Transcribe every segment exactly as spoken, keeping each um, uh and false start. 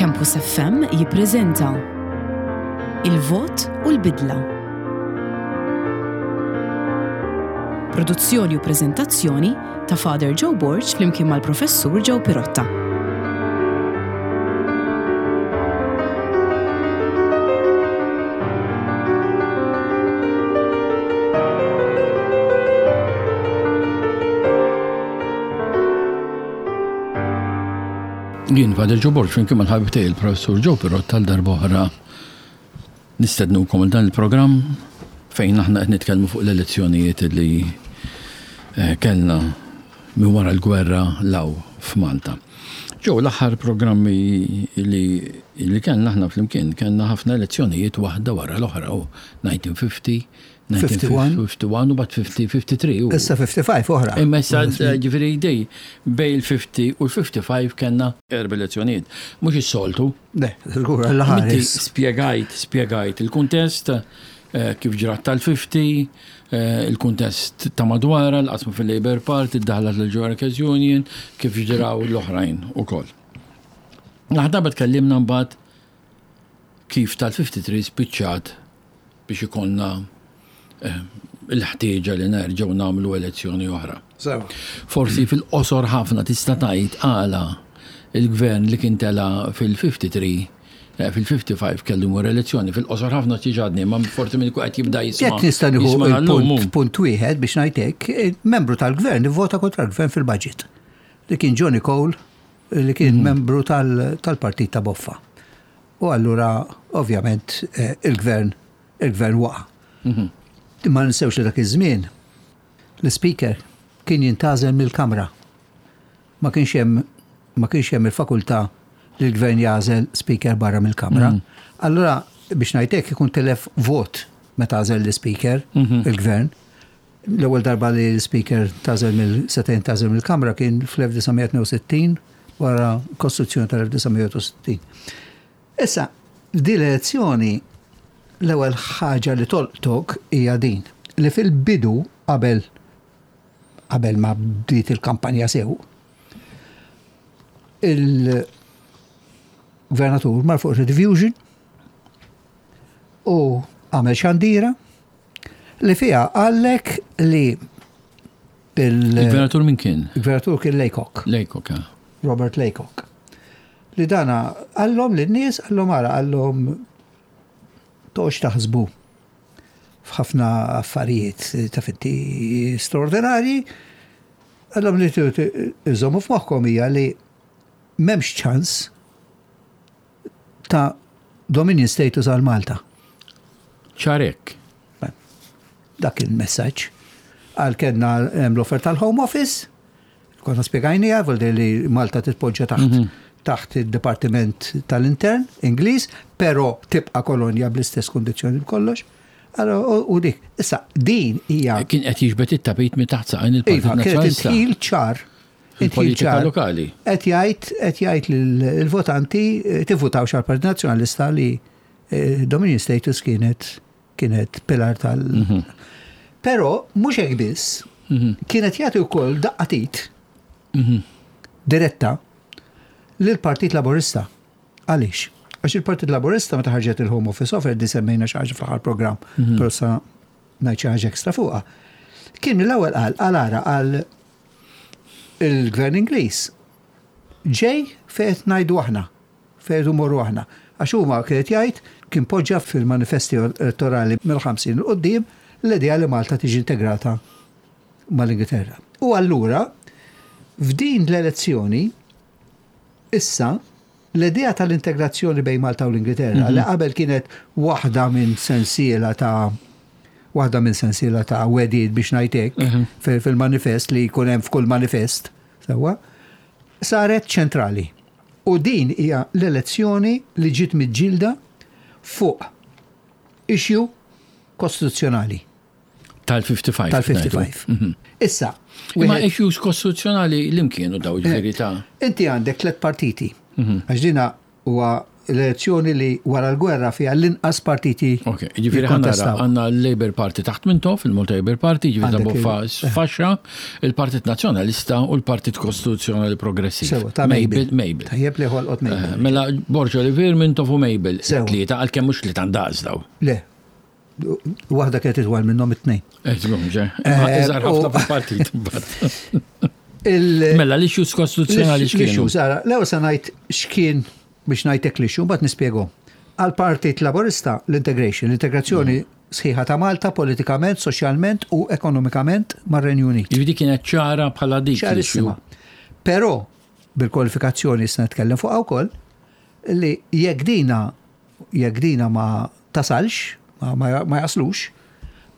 Campus F M jippreżenta Il-Vot u l-Bidla. Produzzjoni u preżentazzjoni ta' Father Joe Borg flimkien mal-Professur Joe Pirotta. Jien Father Joe Borg flimkien mal-ħabib tiegħi il-Professur Joe Pirotta għal darb'oħra nistednukom għal dan il-programm fejn aħna qed nitkellmu fuq l-elezzjonijiet li eh, kellna minn wara l-gwerra 'l hawn f'Malta. Ġew l-aħħar programmi li, li kellna aħna flimkien kellna ħafna elezzjonijiet waħda wara l-oħra u elf disa' mija u ħamsin, elf disa' mija u ħamsa u ħamsin u mbagħad ħamsa u ħamsin, ħamsa u ħamsin. u- Issa ħamsa u ħamsin oħra. Imma issa ġifieri dej bejn il-ħamsa u l-ħamsa u ħamsin kellna erba' elezzjonijiet. Mhux is-soltu. Le, żgur, Inti l-ħares. spjegajt, spjegajt il-kuntest, eh, kif ġrat tal-ħamsin, eh, il-kuntest ta' madwara, l-qasmu fil-Labour Party, id-daħla tal-Workers Union, kif ġraw l-oħrajn ukoll. Naħdaba tkellimna mbagħad kif tal-ħamsa u ħamsin spiċċat biex ikollna eh, il-ħtieġa li nerġgħu nagħmlu elezzjoni oħra. Sewa. Forsi fil-qosor ħafna tista' tgħid għala il-gvern li kien tela fil-ħamsa u ħamsin eh, fil-ħamsa u ħamsin kellu jmur elezzjoni, fil-qosor ħafna ċiġadni, ma forsi minn qed jibda jisma'. Jekk nista' nieħu jisma' għallum, il-punt punt wieħed biex ngħidlek, membru tal-gvern ivvota kontra l-gvern fil-budget. Li kien Johnny Cole, li kien membru tal- tal-partit ta' Boffa. U allura, ovvjament, eh, il-gvern il-gvern waqa'. Ma ninsewx li dak iż-żmien l-speaker kien jintgħażel mill-Kamra. Ma kienx hemm ma kienx hemm il-fakultà li l-gvern jagħżel speaker barra mill-Kamra. Allura biex ngħidlek ikun telef vot meta għażel l-speaker il-gvern. L-ewwel darba li l-speaker tagħżel mill seta' jintgħażel mill-Kamra kien fl-elf disa' mija u tnejn u sittin wara Kostituzzjoni tal-elf disa' mija u sittin. Issa, di l-elezzjoni l-ewwel ħaġa li tolqtok hija din li fil-bidu qabel qabel ma bdiet il-kampanja sew, il-gvernatur mar fuq Rediffusion u għamel xandira li fiha qallek li il- Il-gvernatur min kien? il-gvernatur kien Laycock. Laycock, ah. Robert Laycock. Li dana qallhom lin-nies, qallhom ara, qallhom toqgħodx taħsbu f'ħafna affarijiet ta' fitti straordinarji, qallhom li iżommu f'moħħkom hija li m'hemmx ċans ta' Dominion status għal Malta. Ċarek. Dak il-messaġġ. Għal kellna hemm l-offer tal-Home Office, konna spjegajnija, vuol dire li Malta titpoġġa taħt taħt il-Dipartiment tal-Intern Ingliż, però tibqa' kolonja bl-istess kondizzjoni b'kollox. Allora, u u dik, issa din hija Kien qed jiġbed it-tapit minn taħt saqajn il-Partit Iva, kienet Nazzjonalista. indħil ċar. Indħil Il-politika ċar. lokali. Qed jgħid qed jgħid lill-votanti eh, tivvutawx għall-Partit Nazzjonalista li eh, Dominion status kienet kienet pilar tal. Però mhux hekk biss, kienet jagħti wkoll daqqa t'id diretta lill-Partit Laburista. Għaliex? Għax il-Partit Laburista meta ħarġet il-Home Office offer di semmejna xi ħaġa fl-aħħar programm, però sa ngħid xi ħaġa ekstra fuqha. Kien mill-ewwel qal qal ara qal il-Gvern Ingliż ġej fejn qed ngħidu aħna, fejn morru aħna. Għax huma kienet jgħid kien poġġa fil-manifesti elettorali mill-ħamsin 'il quddiem l-idea li Malta tiġi integrata mal-Ingilterra. U allura f'din l-elezzjoni issa l-idea tal-integrazzjoni bejn Malta u l-Ingilterra li qabel kienet waħda minn sensiela ta' waħda minn sensiela ta' wegħdiet biex ngħidlek fil- fil-manifest li jkun hemm f'kull manifest, sewwa, saret ċentrali. U din hija l-elezzjoni li ġiet miġġielda fuq issue kostituzzjonali Tal-ħamsa u ħamsin. tal-ħamsa u ħamsin. Issa, Imma wieħed- issues kostituzzjonali li kienu daw ġifieri ta' inti għandek tliet partiti. Għax dina huwa l-elezzjoni li wara l-gwerra fiha l-inqas partiti. Ok, ġifieri ħa nara jikkontestaw. Għandna l-Labour Party taħt Mintoff, il-Malta Labour Party, ġifieri ta' Għandek boffa il- faxxa, il-Partit Nazzjonalista u l-Partit Kostituzzjonali Progressiv. Sewa, ta' Mabel. Mabel. Tajjeb li ħolqot Eh, Mabel. Mela Borg Olivier, Mintoff u Mabel. Sewa. Tlieta, għalkemm mhux li tandaqs daw. Le, waħda kienet itwal minnhom it-tnejn. Eh, żgur, ġe. Eh, Iżgħar ħafna u- fil-partit. imbagħad. Il- Mela l-issues kostituzzjonali x'kienu? L-issues, ara, l-ewwel se ngħid x'kien biex ngħidlek l-issue, mbagħad nispjegahom. Għal-Partit Laborista l-integration, l-integrazzjoni sħiħa ta' Malta politikament, soċjalment u ekonomikament mar-Renju Unit. Ġifieri kienet ċara bħala dik l-issue. Ċarissima. Però bil-kwalifikazzjoni se nitkellem fuqha wkoll li jekk dina jekk dina ma tasalx, ma, ma, ma jaslux,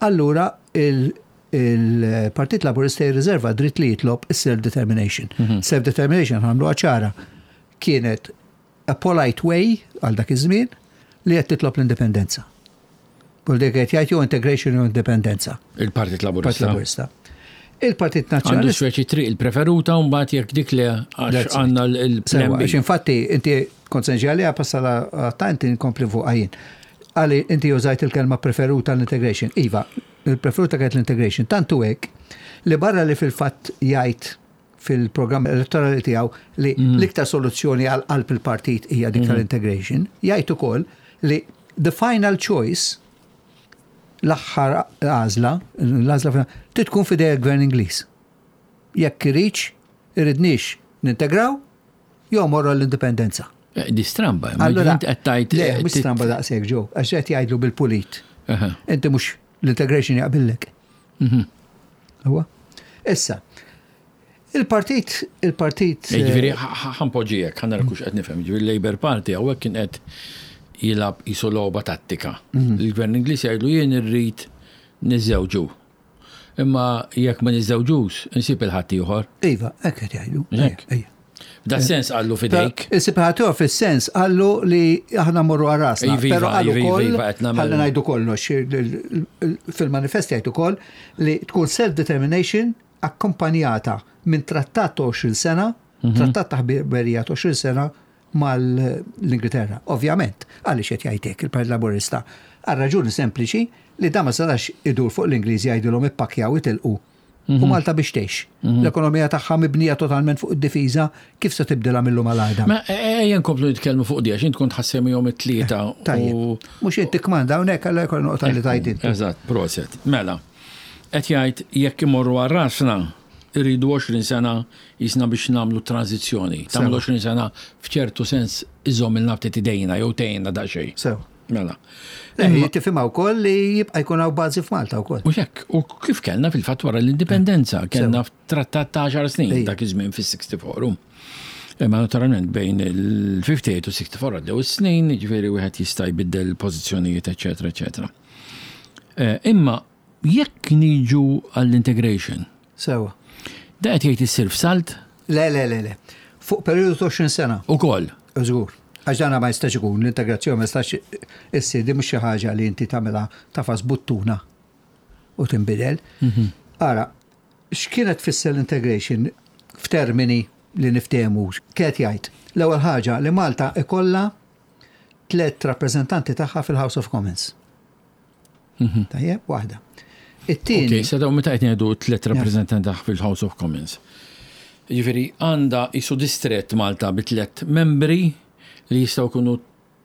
allura il- il-Partit Laburista jirriserva dritt li jitlob is-self-determination. Self-determination għamlu ċara kienet a polite way għal dak iż-żmien li qed titlob l-indipendenza. U dik qed jgħid jew integration jew indipendenza. Il-Partit Partit Laburista. Laburista. Il-Partit Għandu Nazzjonalista speċi triq il-preferuta u mbagħad jekk dik li għax That's it. għandna l-plan Sewa, B. għax infatti inti kont se nġi għalija passala ta' inti nkompli fuq għajin. Għali inti użajt il-kelma preferuta l-integration. Iva, il-preferuta kienet l-integration. Tantu hekk li barra li fil-fatt jgħid fil-programm elettorali tiegħu li l-iktar soluzzjoni għal qalb il-partit hija dik tal-integration, jgħid ukoll li the final choice, l-aħħar għażla, l-għażla finali, trid tkun f'idej il-gvern Ingliż. Jekk iridx, iridniex nintegraw, jew morru l-indipendenza. Eh, Di stramba, ma Allura, int qed tgħid. Le, eh, mhux tit- stramba daqshekk ġew, għax qed jgħidlu bil-pulit. Aha. Inti mhux l-integration jaqbillek. Mhm. Huwa? Issa, il-partit, il-partit. Eh, Ġifieri ħa npoġġijek, ħa nara hux qed nifhem, ġifieri Labour Party hawnhekk kien qed jilgħab qisu logħba tattika. Mhm. Il-Gvern Ingliż jgħidlu jien irrid niżżewġu. Imma jekk ma niżżewġux, insib il-ħadd ieħor. Iva, hekk qed jgħidu. Hekk. Ejja. F'da sens qallu fidejk. Is-separator fis-sens qallu li aħna morru għal rasna. Iva, iva, Però qallu iva, wkoll, iva, qed nagħmel- ħalli ngħidu kollox, il- il- fil-manifest jgħid ukoll li tkun self-determination akkompanjata minn trattat ta' għoxrin sena, Mhm. trattat ta' ħbiberija ta' għoxrin sena mal-Ingilterra. Ovvjament, għaliex qed jgħidlek il-Partit Laburista? Għal raġuni sempliċi li da ma setax idur fuq l-Ingliżi jgħidulhom ippakkjaw itilqu. U Malta biex tgħix. L-ekonomija tagħha mibnija totalment fuq id-difiża, kif se tibdilha mill-lum għal għada? Ma ejja nkomplu nitkellmu fuq di għax int kont ħa ssemmihom it-tlieta. Tajjeb. u- Mhux inti kmanda hawnhekk għalla jkoll noqta li tajt inti. Eżatt, proset. Mela, qed jgħid jekk imorru għal rasna irridu għoxrin sena jisna biex nagħmlu tranzizzjoni. Tagħmlu għoxrin sena f'ċertu sens iżomm il-nafti tidejna jew tgħinna daqsxejn. Sew. Mela. Le, tifhimha wkoll li jibqa' jkun hawn bażi f'Malta wkoll. U hekk, u kif kellna fil-fatt wara l-indipendenza, kellna trattat ta' għaxar snin Ejja. dak iż-żmien fis-sixty-four. Imma naturalment bejn il-fifty-eight u sixty-four għaddew is-snin, ġifieri wieħed jista' jbiddel pożizzjonijiet, eċetera, eċetera. Eh, Imma jekk niġu għall-integration, Sewa. da qed jgħid issir f'salt Le, le, le, le. Fuq periodu ta' għoxrin sena, ukoll. Żgur. Għax dana ma jistax ikun, l-integrazzjoni ma jistax issir, di mhux xi ħaġa li inti tagħmilha tagħfas buttuna u tinbidel. Ara, x'kienet tfisser l-integration f'termini li niftehmu? Kienet jgħid, l-ewwel ħaġa li Malta ikollha tliet rappreżentanti tagħha fil-House of Commons. Tajjeb, waħda. It-tieni, Ok, sa daw meta qed ngħidu tliet rappreżentanti fil-House of Commons. Jiġifieri għandha qisu distret Malta bi tliet membri li jistgħu jkunu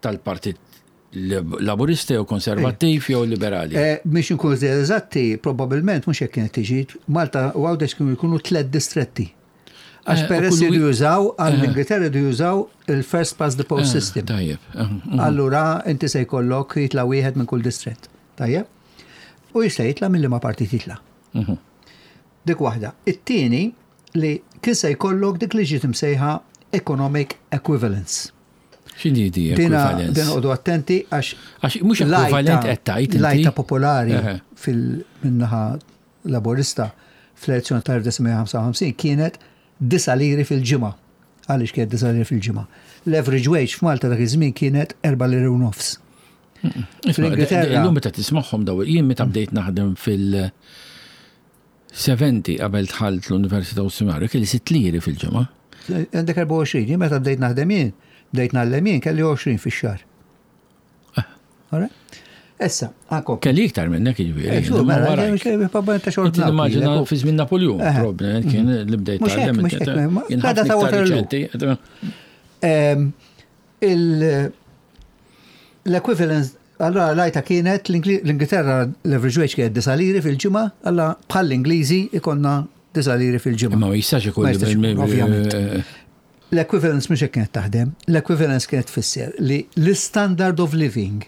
tal-Partit Laburista jew Konservattiv jew Liberali. Eh, Biex nkunu eżatti, probabbilment mhux hekk kienet tiġi, Malta u Għawdex kienu jkunu tliet distretti. Għax Eh, peress u kull jridu wi- jużaw, għall-Ingilterra jridu jużaw il-first past the post Ah, system. Tajjeb. ah, mm. Allura inti se jkollok jitla wieħed minn kull distrett. Tajjeb? U jista' jitla mill ma partit jitla. Mhm. Dik waħda. It-tieni li kien se jkollok dik li ġiet imsejħa economic equivalence. X'inhi di Dina equivalence? din noqogħdu attenti għax Għax mhux equivalent qed tgħid inti. L-għajta popolari Eħe. fil-minnaħa laborista fl-elezzjoni tal-elf disa' mija ħamsa u ħamsin kienet disa' liri fil-ġimgħa. Għaliex kienet disa' liri fil-ġimgħa? L-average wage f'Malta dak iż-żmien kienet erba' liri u nofs. Isma' Fl-Ingilterra- Illum meta tismagħhom daw, jien meta bdejt naħdem fil- sebgħin qabel dħalt l-Università u Seminarju, kelli sitt liri fil-ġimgħa. Għandek erbgħa u għoxrin, jien meta bdejt naħdem jien, Bdejt ngħallem jien kelli għoxrin fix-xahar. Alright? Issa, għankom. Kelli iktar minnek jiġifieri. Eh, xur, imma mela, warajk. mhux hekk, papà, ta' xorta Inti naf nimmaġina lilek, u- fi żmien Napoleon, Eħe. probabbilment kien li bdejt Mhux hekk, tgħallem. mhux hekk, ma- Kien għada ħafna ta' iktar Waterloo. riċenti. Ehm, il- L-equivalence, allora l-għajta kienet l-Ingli- l-Ingilterra l-average wage kienet disa' liri fil-ġimgħa, alla bħal l-Ingliżi ikonna disa' liri fil-ġimgħa. Imma ma jistax ikun Ma jistax ikun, ovvjament. eh, L-equivalence mhux hekk kienet taħdem, l-equivalence kienet tfisser li l-standard of living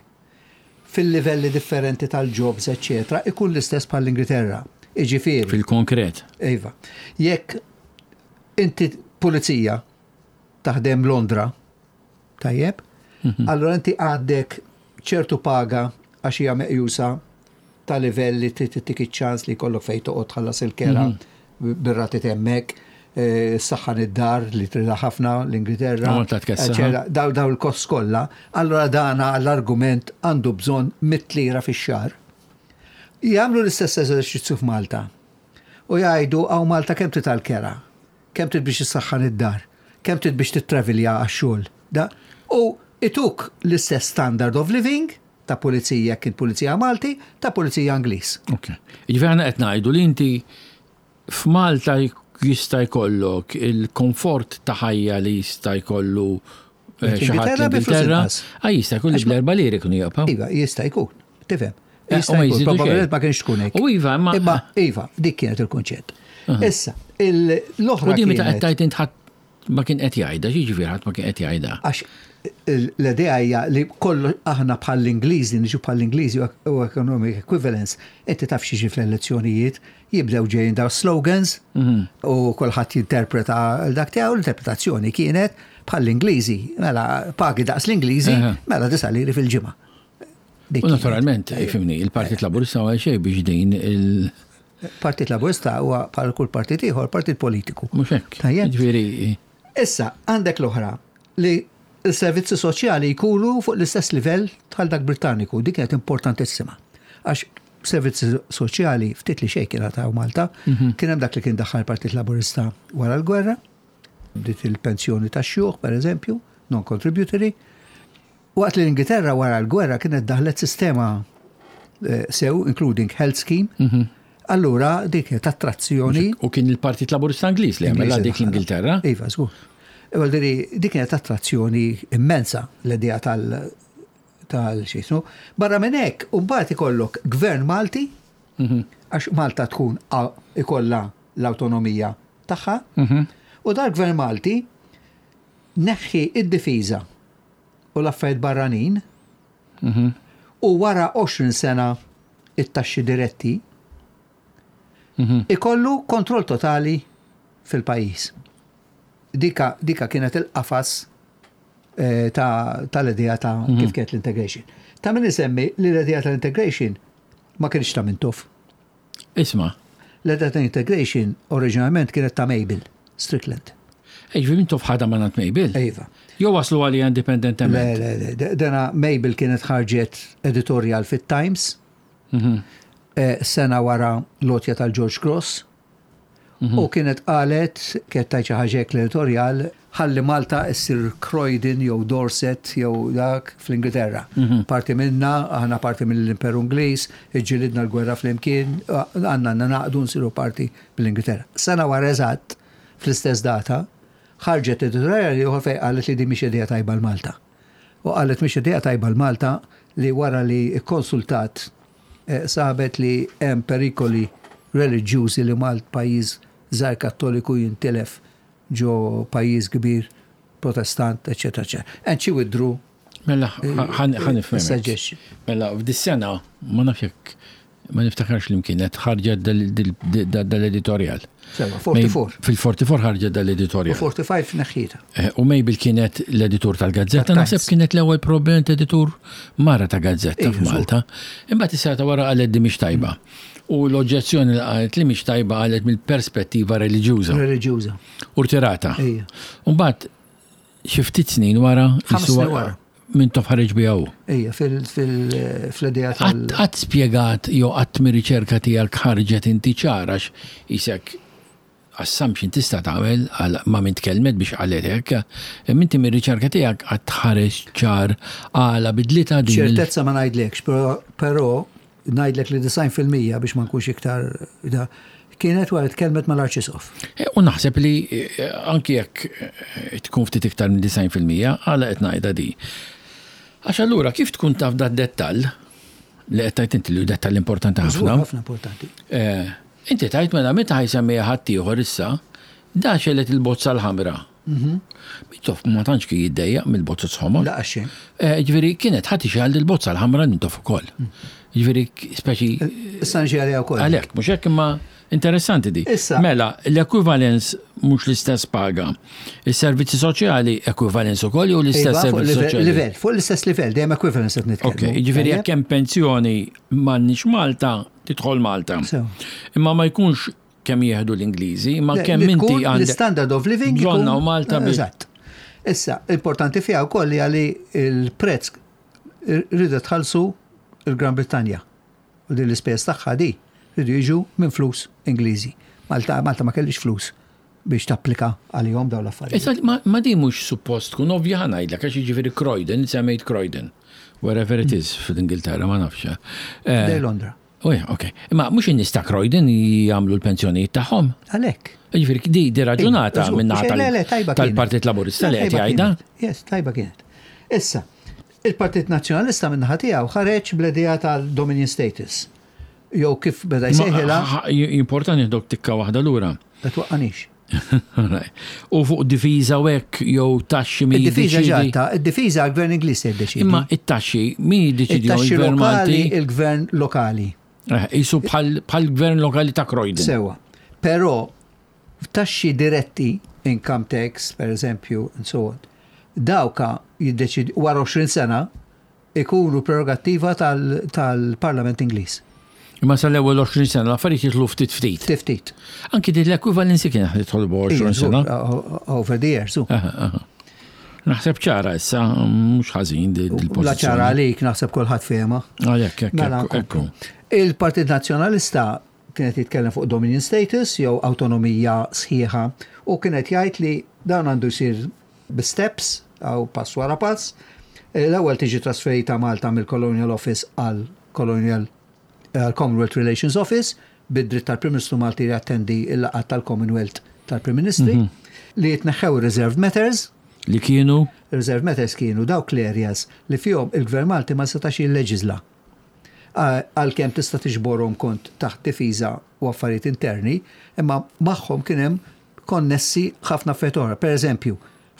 fil-livelli differenti tal-jobs, eccetera, ikun l-istess bħal l-Ingilterra. Iġifieri. Fil-konkret. Iva. Jekk inti pulizija taħdem Londra, tajjeb, allora inti għandek ċertu paga għax hija meqjusa ta' livell li trid tittik iċ-ċans li jkollok fejn toqgħod tħallas il-kera bir-rati hemmhekk, eh, saħħan id-dar li tridha ħafna l-Ingilterra. U Malta tkessaħ. eccetera. Daw daw il-kost kollha, allora dana l-argument għandu bżonn mitt lira fix-xahar. Jagħmlu l-istess eżerċizzju f'Malta. U jgħidu hawn Malta kemm trid tal-kera, kemm trid biex issaħħan id-dar, kemm trid biex tittravilja għax-xogħol. Da? U ituk l-istess standard of living ta' pulizija kien pulizija Malti, ta' pulizija Ingliż. Ok. Jiġifieri aħna qed ngħidu li inti f'Malta jista' jkollok il-komfort ta' ħajja li jista' jkollu eh, xi ħadd L-Ingilterra bi flus l-Ingilterra. inqas. Ah, jista' jkollu Għax ma- bl-erba' liri kienu jaqbgħu. Iva, jista' jkun, tifhem. Eh, Jista' u ma jkun, jżidu probabbilment xejn. ma kienx tkun hekk. U iva, ma- Imma iva, dik kienet il-kunċett. Issa, il- l-oħra U di meta qed kienet tgħid int ħadd ma kien qed jgħidha, jiġifieri ħadd ma kien qed jgħidha. għax l-idea hija li kollu aħna bħall-Ingliżi, niġu bħall-Ingliżi u economic equivalence, inti taf xi fl-elezzjonijiet, jibdew ġejjin daw slogans u kulħadd jinterpreta dak tiegħu, l-interpretazzjoni kienet bħall-Ingliżi, mela pagi daqs l-Ingliżi, Aha. mela disa' liri fil-ġimgħa. Dik U kienet. naturalment, ifhimni, il-Partit Laburista għal xejn biex din il- Partit Laburista huwa bħal kull partit ieħor partit politiku. Mhux hekk. Tajjeb. Jiġifieri Issa, għandek l-oħra li il-servizzi soċjali jkunu fuq l-istess livell bħal dak Britanniku, dik kienet importantissima. Għax servizzi soċjali ftit li xejn kien ta' Malta, kien hemm dak li kien daħħal Partit Laburista wara l-gwerra, bdiet il-pensjoni tax xjuħ, per eżempju, non-contributory. Waqt li l-Ingilterra wara l-gwerra kienet daħlet sistema eh, sew, including health scheme, allura dik kienet attrazzjoni U kien il-Partit Laburista Ingliż li għamela dik l-Ingilterra. Iva, żgur. Iva, diri, dik kienet attrazzjoni immensa l-idea tal tal xismu. Barra minn hekk, u mbagħad ikollok gvern Malti, għax Malta tkun a- ikollha l-awtonomija tagħha, u dal-gvern Malti neħħi id-difiża u l-affarijiet barranin u wara għoxrin sena it-taxxi diretti ikollu kontroll totali fil-pajjiż. Dika, dika kienet il-qafas eh, ta' tal-idea ta' kif kienet l-integration. Ta' min isemmi li l-idea tal-integration ma kienx ta' Mintoff. Isma, L-idea tal-integration oriġinalment kienet ta' Mabel Strickland. Ġifieri Mintoff ħadha mingħand Mabel. Iva. Jew waslu għalija Le, indipendentement. le, le, de- dena Mabel kienet ħarġet editorial fit-Times eh, sena wara l-għotja tal-George Cross u kienet qalet, kienet tajt xi ħaġa hekk l-editorial, ħalli Malta issir Croydon jew Dorset jew dak fl-Ingilterra. Parti minna, aħna parti mill-Imperu Ingliż, iġġilidna l-gwerra fl-imkien, għandna naqdu nsiru parti mill-Ingilterra. Sena wara eżatt, fl-istess data, ħarġet editorial ieħor fejn qalet li di mhix idea tajba l-Malta. U qalet mhix idea tajba l-Malta li wara li konsultat eh, sabet li hemm perikoli reliġjużi li Malt pajjiż żgħar kattoliku jintilef ġo pajjiż kbir protestant, eċetera, eċetera. And she withdrew Mela, ħa nifhem. suggestion. Mela, f'dis-sena, ma nafx jekk ma niftakarx li kienet ħarġet dal-editorial. Sewa, erbgħa u erbgħin. Fil-erbgħa u erbgħin ħarġet U dal-editorial. ħamsa u erbgħin neħħietha. Eh, U Mabel kienet l-editur tal-gazzetta, Tat-Times. naħseb kienet l-ewwel probabbilment editur mara ta' gazzetta Ija, f'Malta. Imbagħad is-sena wara qalet di mhix tajba. U l-oġġezzjoni li qalet li mhix tajba qalet mill-perspettiva reliġjuża. Reliġjuża. U rtirata. Ija. U mbagħad xi ftit snin wara Ħames jisuwa- snin wara. Mintoff ħareġ biha hu. Ija, fil-idea tal- Qatt qatt spjegat jew qatt mir-riċerka tiegħek ħarġet inti ċara isek assumption tista' tagħmel għal ma' min tkellmet biex qalet hekk, imma inti mir-riċerka tiegħek għad tħares ċar għala bidlita din. il- ċertezza ma ngħidlekx, però- però ngħidlek li disgħin fil-mija biex ma nkunx iktar da, kienet wara tkellmet mal-Arċisqof. Eh, U naħseb li eh, anki jekk eh, tkun ftit iktar minn disgħin fil-mija, għala qed ngħidha di. Għax allura kif tkun taf dat dettall li qed tgħid inti li hu dettall importanti Żgur, ħafna. Ħafna importanti. Eh, Inti tajt mela meta ħa jsemmiha ħaddieħor issa, da xegħlet il-bozza l-ħamra. Mintoff ma tantx kien jiddejjaq mill-bozza ħomor. La xejn. Eh, Ġifieri kienet ħadd ixgħal il-bozza l-ħamra Mintoff ukoll. Ġifieri speċi Issa nġi għalija wkoll. għalhekk, mhux hekk, imma interessanti di. Issa. Mela, l-equivalence mhux l-istess paga. Is-servizzi soċjali equivalence ukoll jew l-istess Iva, fuq servizzi livell, soċjali? livell, fuq l-istess livell, dejjem equivalence qed nitkellmu. Ok, ġifieri Tajjeb? jekk hemm pensjoni m'għandniex Malta, tidħol Malta. Sew. Imma ma jkunx kemm jieħdu l-Ingliżi, imma Le, kemm li inti tkun għandek. L-standard of living Bżonna ikun- u Malta bi- Eżatt. Issa, importanti fiha wkoll li għali il-prezz rridu tħallsu il-Gran Brittanja. U din l-ispejjeż tagħha di rridu jiġu minn flus Ingliżi. Malta, Malta ma kellix flus biex tapplika għalihom dawn l-affarijiet. Issa, ma, ma di mhux suppost tkun ovvja, ħa ngħidlek, għax jiġifieri Croydon, semmejt Croydon, wherever it is fil-Ingilterra, ma nafx. Eh, Dej Londra. Uja, ok. Imma mhux in-nies ta' Croydon jagħmlu l-pensjonijiet tagħhom? Għalhekk. Jiġifieri di di raġunata Żgur, minn le, le, tajba kienet. tal-Partit Laburista li Le, qed tajba jgħidha. kienet. Yes, tajba kienet. Issa, il-Partit Nazzjonalista min-naħa tiegħu ħareġ bl-idea tal-Dominion Status. Jew kif beda jsejħilha, Importanti nieħdok tikka waħda lura. la twaqqanix. U fuq difiża u hekk jew taxxi min Id-difiża jiddeċidi. ġatta, id-difiża għal-gvern Ingliż jiddeċidi. Imma it-taxxi min jiddeċidi? It-taxxi Il-gvern lokali, Malti? Il-gvern lokali. Eh, Isu bħal bħal gvern lokali ta' Croydon. Sewa. Però taxxi diretti, income tax, per eżempju, and so on, dawka jiddeċidi wara għoxrin sena ikunu prerogattiva tal- tal-Parlament Ingliż. Imma sal-ewwel għoxrin sena l-affarijiet jitlu ftit ftit. Ftit. Anki din l-equivalency kien jidħol għoxrin sena. Over the years. u. Aha, aha. Naħseb ċara issa, mhux ħażin di- dil-pożizzjoni. La ċara għalik, naħseb kulħadd fehma. Għalhekk, hekk, Mela, ekku, ekku. Il-Partit Nazzjonalista kienet jitkellem fuq Dominion Status jew autonomija sħiħa u kienet jgħid li dan għandu jsir bi steps aw pass wara pass. L-ewwel tiġi trasferita Malta mill-Colonial Office għal Colonial għal Commonwealth Relations Office bid-dritt tal-Prim Ministru Malti li jattendi il-laqgħat tal-Commonwealth tal-Prim Ministri, li jitneħħew reserved matters. Li kienu? Reserved matters kienu dawk l-areas li fihom il-Gvern Malti ma setax jilleġisla. Għalkemm tista' tiġborhom kont taħt difiża u affarijiet interni, imma magħhom kien hemm konnessi ħafna affarijiet oħra. Per eżempju,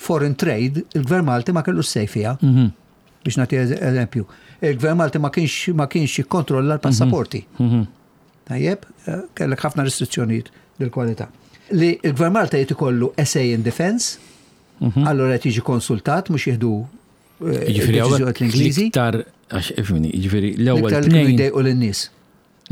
foreign trade, il-Gvern Malti ma kellux say fiha. Biex nagħti eżempju. Il-Gvern Malti ma kienx ma kienx jikkontrolla l-passaporti. Tajjeb, eh, kellek ħafna restrizzjonijiet dil-kwalità. Li il-Gvern Malta jrid ikollu a say in defense, allora qed jiġi konsultat mhux jieħdu eh, Jiġifieri hawnhekk deċiżjonijiet l-Ingliżi. l-iktar, għax ifhimni, jiġifieri l-ewwel L-iktar li kienu tnejn jdejqu lin-nies.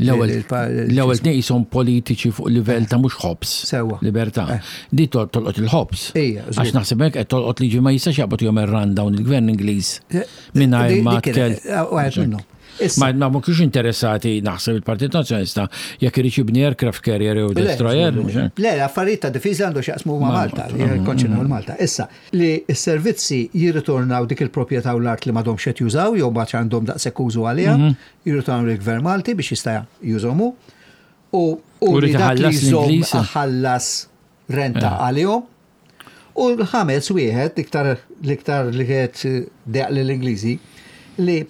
L-ewwel Il- l-ewwel tnejn jisom politiċi fuq livell ta' mhux ħobs. Sewwa. Libertà. Eh. Di tol- tolqot il-ħobs. Ija, żgur. Għax naħseb hekk qed tolqot liġi ma jistax jaqbad jom dawn il-gvern Ingliż mingħajr Di- ma di kienet, tkel. eh, Wieħed minnhom. Issa, Ma ma ma kienx interessati naħseb il-Partit Nazzjonalista jekk irid jibni aircraft carrier jew Le, destroyer. Mhux hekk? Le, l-affarijiet ta' difiża għandu x'jaqsmu ma' Ma' Malta, li jikkonċernaw il-Malta. Issa, li s-servizzi jirritornaw dik il-proprjetà u l-art li m'għadhomx qed jużaw jew ma għandhom daqshekk użu għaliha, jirritornaw lill-Gvern Malti biex jista' jużhom hu. U u U li rrid dak li iħallas jżomm l-Ingliż. ħallas renta għalihom. U l-ħames wieħed, iktar l-iktar li kienet deq lill-Ingliżi, li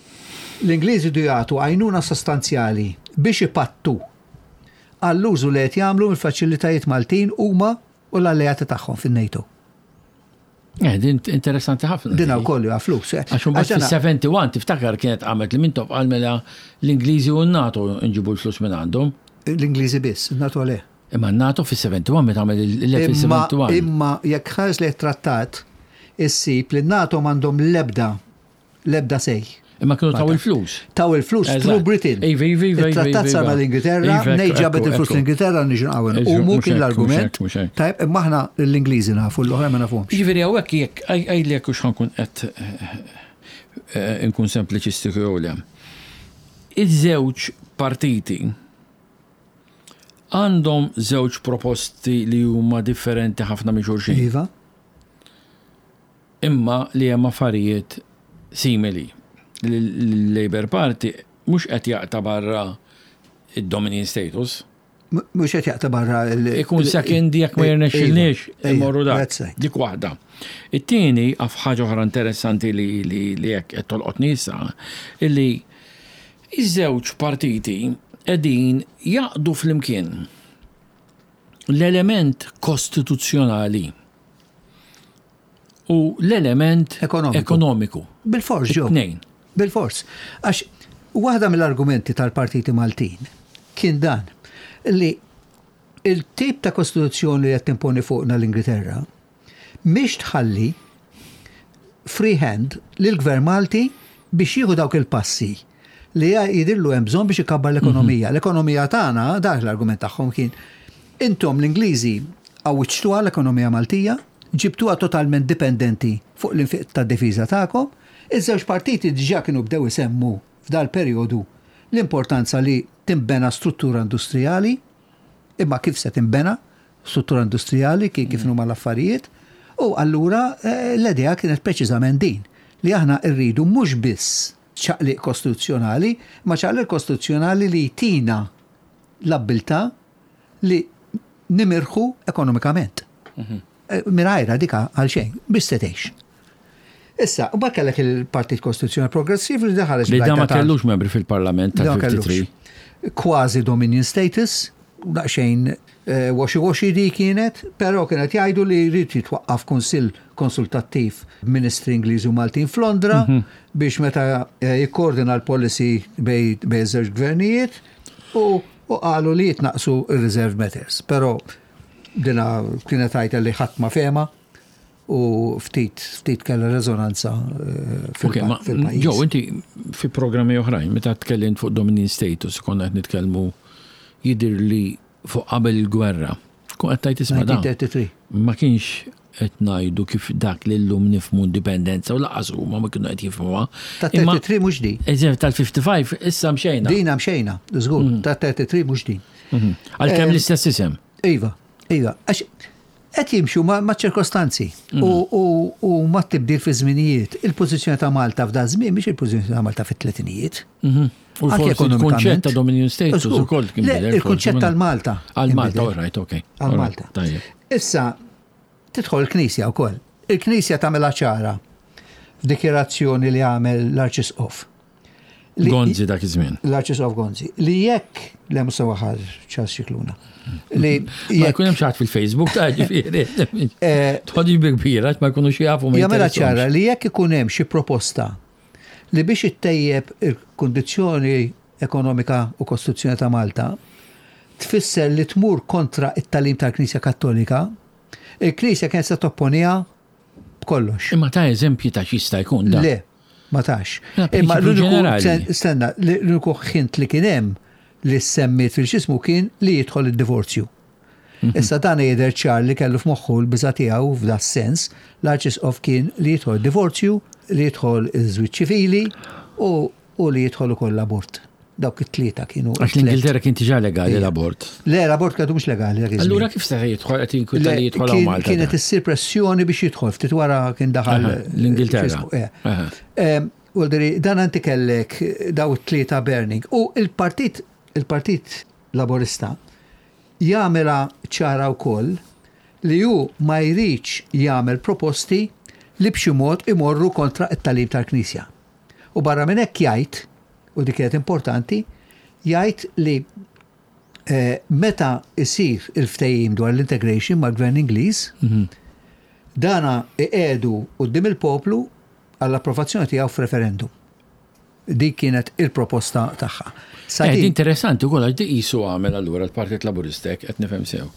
l-Ingliżi du jagħtu għajnuna sostanzjali biex ipattu għall-użu li qed jagħmlu mill-faċilitajiet Maltin huma u l-alleati tagħhom fin-NATO. Eh, din interessanti ħafna. Din wkoll huwa flus. eh. Għax imbagħad fis-sebgħa u sebgħin tiftakar kienet qamet li Mintoff qal mela l-Ingliżi u n-NATO nġibu l-flus minn għandhom. L-Ingliżi biss, NATO le. Imma n-NATO fis-sebgħa u sebgħin meta għamel Imma il-sebgħa u sebgħin. imma jekk ħares li trattat issib li n-NATO m'għandhom l-ebda l-ebda say. Imma kienu taw il-flus. Taw il-flus Eżatt. through Britain. Iva, iva, iva, Il-trattat iva, sar iva. mal-Ingilterra, Iva, nej ekku, ġabet ekku, il-flus ekku. l-Ingilterra niġu nqawwen. Eżatt, Umu mhux kien hekk, l-argument. mhux hekk, mhux hekk. Tajb, imma aħna l-Ingliżi nafu, l-oħra ma nafhomx. Ġifieri hawnhekk jekk għajli jekk hux ħa nkun qed eh, nkun sempliċistiku jew le. Iż-żewġ partiti Għandhom żewġ proposti li huma differenti ħafna minn xulxin. Iva. Imma li hemm affarijiet simili. L-Labour Party mhux qed jaqta' barra id-Dominion status. Mhux qed jaqta' barra il- Ikun second jekk ma jirnexxilniex Iva, imorru dak. that's right. Dik waħda. It-tieni għaf ħaġa oħra interessanti li li li jekk qed tolqotni issa, illi iż-żewġ partiti qegħdin jaqdu flimkien l-element kostituzzjonali u l-element Ekonomiku. ekonomiku. Bil-fors, ġo. It-tnejn. Bil-fors. Għax waħda mill-argumenti tal-partiti Maltin kien dan li il-tip ta' kostituzzjoni li qed timponi fuqna l-Ingilterra mhix tħalli free hand lill-Gvern Malti biex jieħu dawk il-passi li jidhirlu hemm bżonn biex ikabbar l-ekonomija. L-ekonomija tagħna, dak l-argument tagħhom kien, intom l-Ingliżi għawwiġtuha l-ekonomija Maltija, ġibtuha totalment dipendenti fuq l-infiq tad-difiża tagħkom, iż-żewġ partiti diġà kienu bdew isemmu f'dal perjodu l-importanza li timbena struttura industrijali, imma kif se timbena struttura industrijali kif kif huma l-affarijiet, u allura eh, l-idea kienet preċiżament din li aħna rridu mhux biss ċaqliq kostituzzjonali, ma ċaqliq kostituzzjonali li jtina l-abbiltà li nimirħu ekonomikament. Eh, Mingħajrha dika għal xejn, biex se tgħix. Issa, u mbagħad kellek il-Partit Kostituzzjonali Progressiv li daħal Li da ma kellux membri fil-parlament Da ma kellux. tal-ħamsa u ħamsin. Kważi Dominion status, daqsxejn eh, wishy-washy di kienet, però kienet jgħidu li jrid jitwaqqaf kunsill konsultattiv ministri Ingliżi u Maltin f'Londra biex meta eh, jikkoordina l-policy bejn bejn żewġ gvernijiet u u qalu li jitnaqsu il-reserve matters. Però dina kienet għajta li ħadd ma fehma u ftit ftit kellha rezonanza eh, Ok, ma fil-pajjiż. Joe, inti fi programmi oħrajn, meta tkellimt fuq Dominion status, konna qed nitkellmu jidir li fuq qabel il-gwerra. Kun qed tgħid isma' dan. mil disa' mija u tlieta u tletin. Ma kienx qed ngħidu kif dak li llum nifhmu indipendenza u lanqas huma ma kienu qed jifhmuha. Ta' Imma tlieta u tletin mhux di. eżempju tal-ħamsa u ħamsin issa mxejna. Dina mxejna, żgur, ta' tlieta u tletin mhux din. Mhm. Għalkemm l-istess isem. Iva, iva, għax qed jimxu ma' ma' ċirkostanzi u, u, u ma' tibdil fi żminijiet. Il-pożizzjoni ta' Malta f'da żmien mhix il-pożizzjoni ta' Malta fit-tletinijiet. Mhm. U Anke forsi il-kunċett ekonomikament. ta' Dominion status Żgur. ukoll kien Le, bidel, Il-kunċett forsi, tal-Malta. Għal Malta, inbidel. all right, ok. Għal All Malta. right, Tajjeb. Issa, tidħol il-Knisja wkoll. Il-Knisja tagħmilha ċara f'dikjerazzjoni li għamel l-Arċisqof. Li- Gonzi dak iż-żmien. L-Arċisqof Gonzi. Li jekk, le mhux waħar Charles Scicluna. Li Ma jekk jkun hemm xi ħadd fil-Facebook ta' ġifieri. Eh, Tħodix bi kbira, ma jkunux jafu ma jagħmilha jinteressahomx. ċara li jekk ikun hemm xi proposta li biex ittejjeb il-kundizzjoni ekonomika u kostituzzjoni ta' Malta tfisser li tmur kontra it-tagħlim tal-Knisja Kattolika, il-Knisja kienet se topponiha b'kollox. Imma ta' eżempji ta' x'jista' jkun da. Le, ma tax. La, Imma prinċipju l-uniku ġenerali. stenna, l-uniku hint li kien hemm li semmiet fil-xismu kien li jidħol id-divorzju. Mhm. Issa dan jidher ċar li kellu f'moħħu l-biża tiegħu f'da sens, l-Arċisqof kien li jidħol divorzju, li jidħol iż-żwieġ ċivili u, u li jidħol ukoll l-abort. Dawk it-tlieta kienu. Għax it-tliet. l-Ingilterra kien diġà legali l-abort. Le, l-abort kiedu mhux legali. dak iż-żmien. Allura kif se jidħol qed jinkwita Le, li jidħol hawn kien- Malta? Kienet da? issir pressjoni biex jidħol, ftit wara kien daħal Aha, l-Ingilterra. x'ismu, eh. Aha. Em, Vuoldiri, dan anti kellek daw it-tlieta burning. U il-partit, il-partit Laborista jagħmilha ċara wkoll li hu ma jridx jagħmel proposti li b'xi mod imorru kontra it-tagħlim tal-Knisja. U barra minn hekk jgħid, u dik kienet importanti, jgħid li eh, meta isir il-ftehim dwar l-integration mal-Gvern Ingliż, dana iqiegħdu quddiem il-poplu għall-approvazzjoni tiegħu f'referendum. Dik kienet il-proposta tagħha. Sa Eh, din- interessanti wkoll għax di qisu għamel allura l-Partit Laburista hekk qed nifhem sew.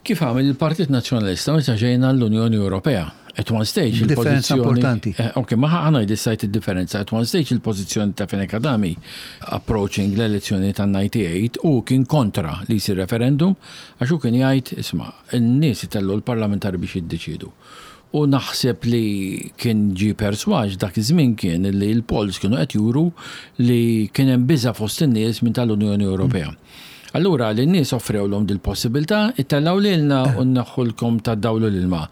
Kif għamel il-Partit Nazzjonalista meta ġejna l-Unjoni Ewropea? At one stage Differenza il-pożizzjoni- importanti. Eh, Ok, ma ħa ngħid issajt id-differenza. At one stage il-pożizzjoni ta' Fenech Adami approaching l-elezzjoni ta' disgħa u disgħin u kien kontra li jsir referendum għax hu kien jgħid isma' n-nies itellu l-parlamentari biex jiddeċidu. U naħseb li kien ġi persważ dak iż-żmien kien li l-polls kienu qed juru li kien hemm biża' fost in-nies minn tal-Unjoni Ewropea. Allura lin-nies offrewlhom dil-possibilità, ittellgħu lilna u nneħħulkom tad-dawl u l-ilma.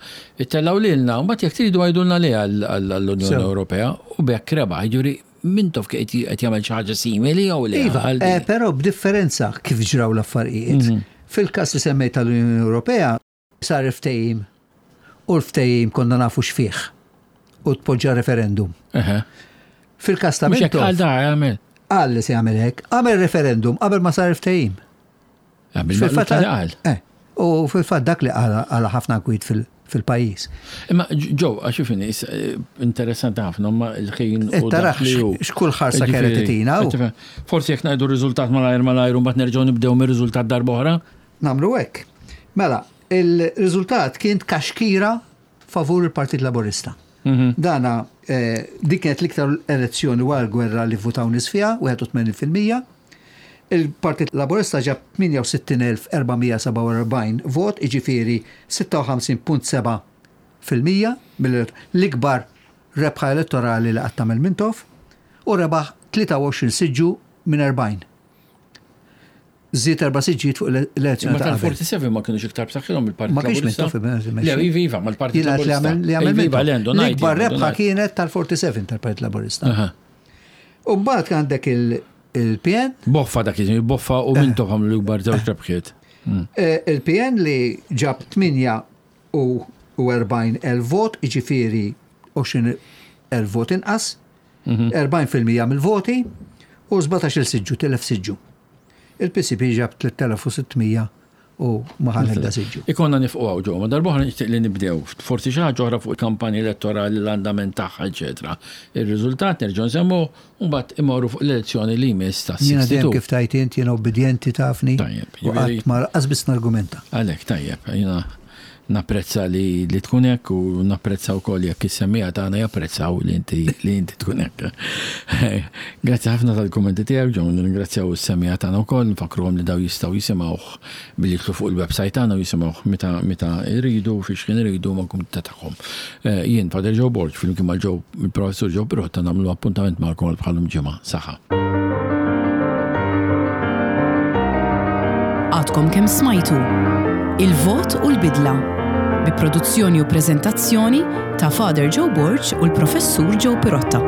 Ittellgħu lilna u mbagħad jekk tridu għidulna le għall-Unjoni Sew. Ewropea u b'hekk rebaħ. Jiġifieri Mintoff qed jagħmel xi ħaġa simili jew le? Iva, għal eh, di? però b'differenza kif ġraw l-affarijiet. Mhm. Fil-każ li semmejt tal-Unjoni Ewropea sar ftehim u l-ftehim konna nafu x'fih u tpoġġa referendum. Eħe. Fil-każ ta' Mhux hekk għal Mintoff da jagħmel. qal li se jagħmel hekk, għamel referendum qabel ma sar ftehim. Għamil qal. Eh, u fil-fatt dak li għala għala ħafna kwit fil- fil-pajjiż. Imma ġew, għax ifini, interessanti ħafna, ma il-ħin u Tarax dak li hu. x'kull ħarsa kienet Ġifieri, titina u qed tifhem. Forsi jekk ngħidu r-riżultat malajr malajr u mbagħad nerġgħu nibdew mir-riżultat darba oħra. Nagħmlu hekk. Mela, il-riżultat kien kaxkira favur il-Partit Laborista. Mhm. Dana, eh, dik kienet l-iktar elezzjoni wara l-gwerra li votaw nies fiha, wieħed u tmenin fil-mija. Il-Partit Laborista ġab tmienja u sittin elf erba' mija sebgħa u erbgħin vot, iġifieri sitta u ħamsin punt sebgħa fil-mija mill-ikbar rebħa elettorali li qatt tagħmel Mintoff u rebaħ tlieta u għoxrin siġġu minn erbgħin. Żied erba' siġġijiet fuq l-elezzjoni Ma ta' qabel. tal-erbgħa u sebgħin ma kienux iktar b'saħħithom il-Partit Ma kienx Laburista. Mintoff Le, iva, iva, mal-Partit Jien għedt li Laburista. għamel li għamel Iva, iva, Mintoff. le, għandu ngħid, L-ikbar għandu rebħa ngħid. kienet tal-erbgħa u sebgħin tal-Partit Laburista. Aha. U mbagħad għandek il- il-P N, Boffa dak iż boffa u Mintoff għamlu l-ikbar żewġ rebħiet. eh, il-P N li ġab tmienja u erbgħin elf vot, iġifieri għoxrin elf vot inqas, erbgħin fil-mija mill-voti u sbatax-il siġġu, telef siġġu. Il-P C P ġab tliet elef u sitt mija u ma ħa l-ebda siġġu. Ikonna nifqu hawn ġew, ma darba nixtieq li nibdew. Forsi xi ħaġa oħra fuq il-kampanja elettorali, l-andament tagħha, eċetera. Ir-riżultat nerġgħu nsemmu u mbagħad imorru fuq l-elezzjoni li jmiss ta' Jiena dejjem sitta u sittax. kif tajt int, jiena obbedjenti tafni. Tajjeb, U jiġifieri- qatt ma qas biss nargumenta. Għalhekk tajjeb, jiena napprezza li, li tkun hekk u napprezza wkoll jekk is-semmiegħa tagħna japprezzaw li inti li inti tkun hekk. Grazzi ħafna tal-kummenti tiegħek, ġew nirringrazzjaw is-semmiegħa tagħna wkoll, nfakruhom li daw jistgħu jisimgħuh billi jidħlu fuq il-website tagħna u jisimgħuh meta meta jridu fiex kien iridu ma' kumdità tagħhom. Eh, Jien Father Joe Borg flimkien ma' Joe il-Professur Joe Pirotta nagħmlu appuntament magħkom bħalum ġimgħa. Saħħa. Għadkom kemm smajtu Il-Vot u l-Bidla bi produzzjoni u preżentazzjoni ta' Father Joe Borg u l-Professur Joe Pirotta.